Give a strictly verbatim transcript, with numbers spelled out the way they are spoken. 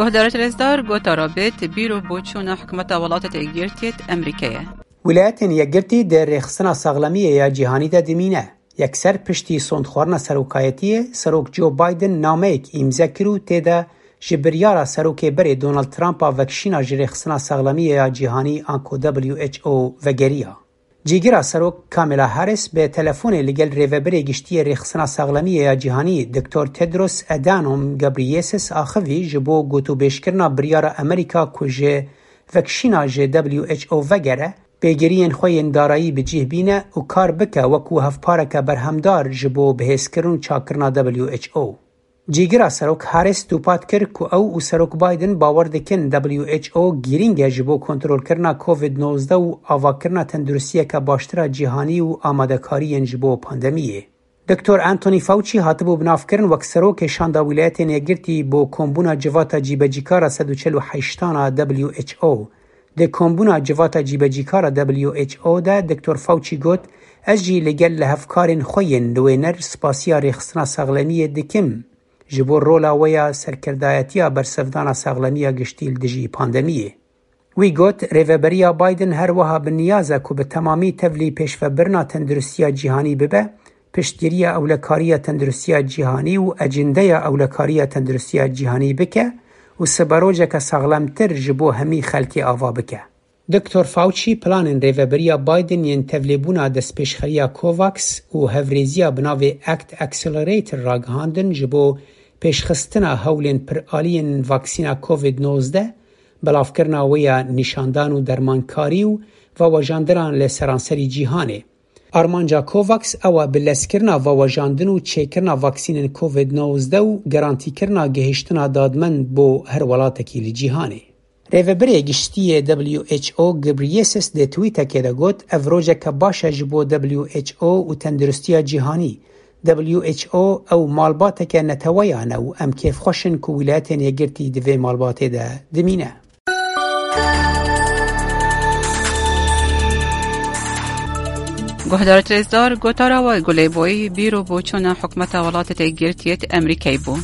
Guhdarêt rêzdar, gotara bêt bîr û boçûna hikûmeta Welatêt Êkgirtiyêt Emerîkeyê. Wilayetên Yekgirtî di rêxistina saxlemiyê ya cîhanî de dimîne. Yekser piştî sondxwarina serokayetiyê, Serok Joe Biden nameyek îmze kir û tê de ji biryara serokê berê Donald Trump a vekişîna ji rêxistina saxlemiyê ya cîhanî anku W H O vegeriya. Cîgira Serok Kamala Harris bi telefonê li gel Rêvebirê Giştî yê Rêxistina Saxlemiyê ya Cîhanî Doktor Tedros Adhanom Ghebreyesus axivî ji bo gotûbêjkirina biryara Amerîka ku ji vekişîna ji W H O vegere, pêgiriyên xwe yên darayî bi cih bîne û kar bike wekû hevpareke berhemdar ji bo bihêzkirin û çakkirina W H O. Cîgira Serok Harris dûpat kir ku ew û Serok Biden bawer dikin W H O girîng e ji bo kontrolkirina Covid nozdeh û avakirina tenduristiyeke baştir a cîhanî û amadekariyên ji bo pandemiyê. Doktor Anthony Fauci hatibû binavkirin wek Serokê Şanda Wîlayetên Yekgirtî bo Kombûna Civata Cîbecîkar a sed û çel û heştan a W H O. Di Kombûna Civata Cîbecîkar a W H O de Doktor Fauci got, Ez jî li gel lihevkarên xwe yên nûêner spasiya rêxistina saxlemiyê dikim ji bo rola wê ya serkirdayetiya bersivdana saxlemiya giştî li dijî pandemiyê. Wî got, Rêveberiya Biden her wiha bi niyaz e ku bi temamî tevlî pêşvebirina tenduristiya cîhanî bibe, piştgiriya ewlekariya tenduristiya cîhanî û ecindeya ewlekariya tenduristiya cîhanî bike û siberojeke saxlemtir ji bo hemî xelkê ava bike. Doktor Fauci planên Rêveberiya Biden yên tevlêbûna destpêşxeriya COVAX û hevrêziya bi navê ACT Accelerator ragihandin ji bo pêşxistina hewlên piraliyên vaksîna Covid nozdeh, belavkirina wê ya nîşandan û dermankarî û vewejandinan li seranserî cîhanê. Armanca COVAX ew e bilezkirina vewejandin û çêkirina vaksînên Covid nozdeh û garantîkirina gihiştina dadmend bo her welatekî li cîhanê. Rêvebirê Giştî yê W H O Ghebreyesus di twîtekê de got, Ev rojeke baş e ji bo W H O û tenduristiya cîhanî. W H O ew malbateke neteweyan e û em kêfxweş in ku Wîlayetên Yekgirtî di vê malbatê de dimîne. Guhdarêt rêzdar, gotara we Gulê Boyî bîr û boçûna hikûmeta Welatêt Êkgirtiyêt Emerîkeyê bû.